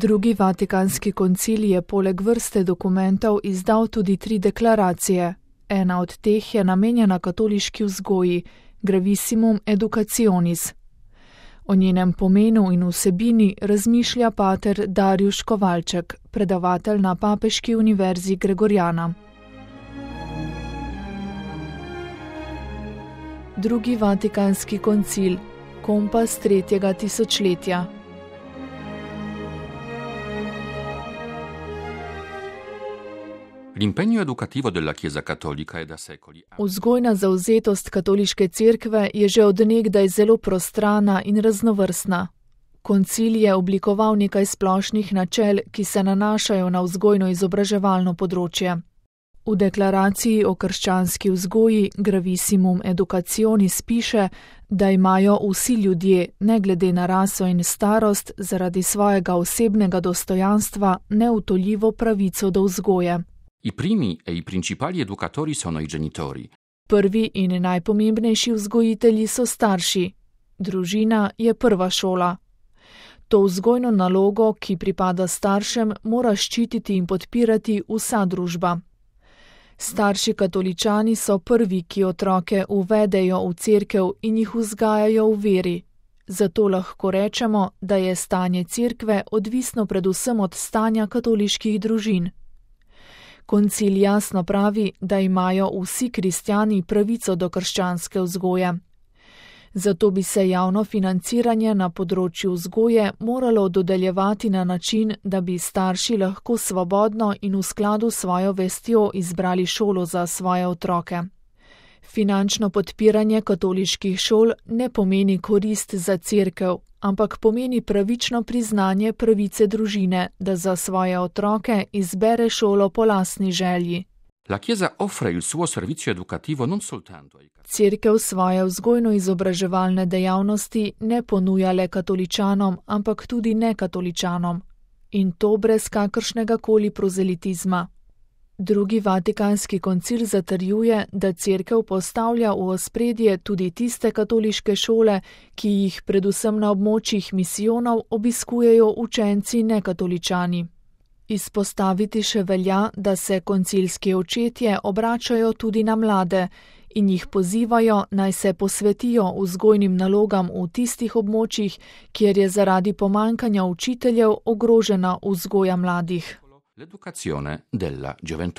Drugi Vatikanski koncil je poleg vrste dokumentov izdal tudi 3 deklaracije. Ena od teh je namenjena katoliški vzgoji, Gravissimum Educationis. O njenem pomenu in vsebini razmišlja pater Darjuš Kovalček, predavatelj na Papeški univerzi Gregoriana. Drugi Vatikanski koncil, kompas 3. tisočletja. L'impegno educativo della Chiesa Cattolica è da secoli. Vzgojna zavzetost katoliške cerkve je že od nekdaj zelo prostrana in raznovrstna. Koncil je oblikoval nekaj splošnih načel, ki se nanašajo na vzgojno-izobraževalno področje. V deklaraciji o krščanski vzgoji Gravissimum Educationis piše, da imajo vsi ljudje, ne glede na raso in starost, zaradi svojega osebnega dostojanstva neutoljivo pravico do vzgoje. I primi e i principali educatori sono i genitori. Prvi in najpomembnejši vzgojitelji so starši. Družina je prva šola. To vzgojno nalogo, ki pripada staršem, mora ščititi in podpirati vsa družba. Starši katoličani so prvi, ki otroke uvedejo v cerkev in jih vzgajajo v veri. Zato lahko rečemo, da je stanje cerkve odvisno predvsem od stanja katoliških družin. Koncil jasno pravi, da imajo vsi kristjani pravico do krščanske vzgoje. Zato bi se javno financiranje na področju vzgoje moralo dodeljevati na način, da bi starši lahko svobodno in v skladu s svojo vestjo izbrali šolo za svoje otroke. Finančno podpiranje katoliških šol ne pomeni korist za cerkev, ampak pomeni pravično priznanje pravice družine, da za svoje otroke izbere šolo po lastni želji. La Chiesa offre il suo servizio educativo non soltanto ai cattolici. Cerkev svoje vzgojno-izobraževalne dejavnosti ne ponuja le katoličanom, ampak tudi nekatoličanom. In to brez kakršnega koli prozelitizma. Drugi Vatikanski koncil zatrjuje, da cerkev postavlja v ospredje tudi tiste katoliške šole, ki jih predvsem na območjih misijonov obiskujejo učenci nekatoličani. Izpostaviti še velja, da se koncilski očetje obračajo tudi na mlade in jih pozivajo, naj se posvetijo vzgojnim nalogam v tistih območjih, kjer je zaradi pomanjkanja učiteljev ogrožena vzgoja mladih. L'educazione della gioventù.